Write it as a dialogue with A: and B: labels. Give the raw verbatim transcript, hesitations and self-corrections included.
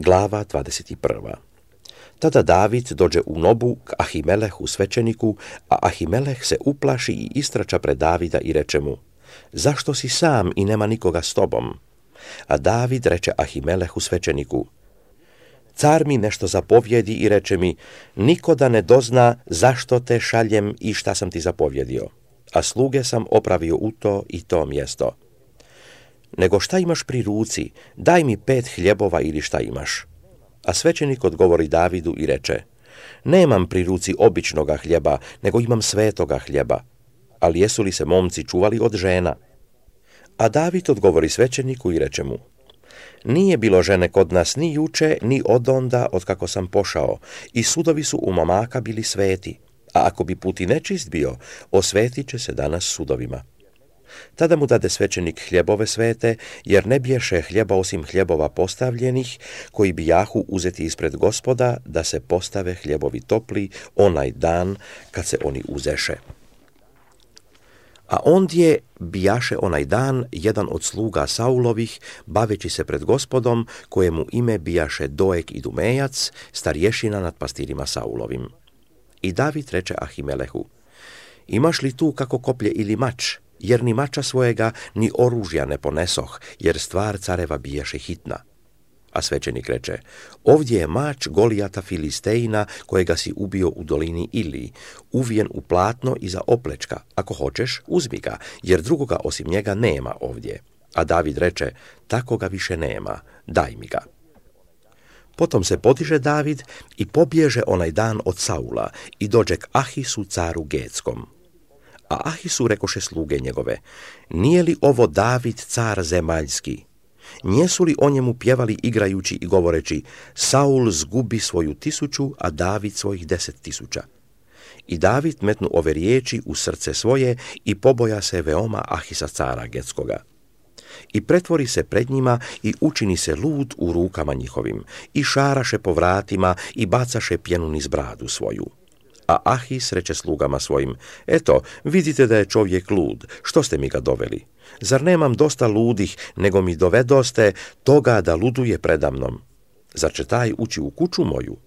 A: Glava dvadeset prva. Tada David dođe u Nobu k Ahimelehu svećeniku, a Ahimeleh se uplaši i istrača pred Davida i reče mu: zašto si sam i nema nikoga s tobom? A David reče Ahimelehu svećeniku: car mi nešto zapovjedi i reče mi: niko da ne dozna zašto te šaljem i šta sam ti zapovjedio, a sluge sam opravio u to i to mjesto. Nego šta imaš pri ruci, daj mi pet hljebova ili šta imaš. A svećenik odgovori Davidu i reče: nemam pri ruci običnoga hljeba, nego imam svetoga hljeba. Ali jesu li se momci čuvali od žena? A David odgovori svećeniku i reče mu: nije bilo žene kod nas ni juče, ni odonda od kako sam pošao, i sudovi su u momaka bili sveti, a ako bi put i nečist bio, osvetit će se danas sudovima. Tada mu dade svećenik hljebove svete, jer ne biješe hljeba osim hljebova postavljenih, koji bi jahu uzeti ispred Gospoda, da se postave hljebovi topli onaj dan kad se oni uzeše. A ondje bijaše onaj dan jedan od sluga Saulovih, baveći se pred Gospodom, kojemu ime bijaše Doeg Idumejac, starješina nad pastirima Saulovim. I David reče Ahimelehu: imaš li tu kako koplje ili mač? Jer ni mača svojega, ni oružja ne ponesoh, jer stvar careva biješe hitna. A svećenik reče: ovdje je mač Golijata Filistejna, kojega si ubio u dolini Ili, uvijen u platno iza oplečka. Ako hoćeš, uzmi ga, jer drugoga osim njega nema ovdje. A David reče: tako ga više nema, daj mi ga. Potom se podiže David i pobježe onaj dan od Saula i dođe k Ahisu caru Getskom. A Ahisu rekoše sluge njegove: nije li ovo David car zemaljski? Njesu li o njemu pjevali igrajući i govoreći: Saul zgubi svoju tisuću, a David svojih deset tisuća? I David metnu ove riječi u srce svoje i poboja se veoma Ahisa cara Getskoga. I pretvori se pred njima i učini se lud u rukama njihovim, i šaraše po vratima i bacaše pjenu niz bradu svoju. A Ahis reče slugama svojim: eto, vidite da je čovjek lud, što ste mi ga doveli? Zar nemam dosta ludih, nego mi dovedoste toga da luduje predamnom? Zar će taj ući u kuću moju?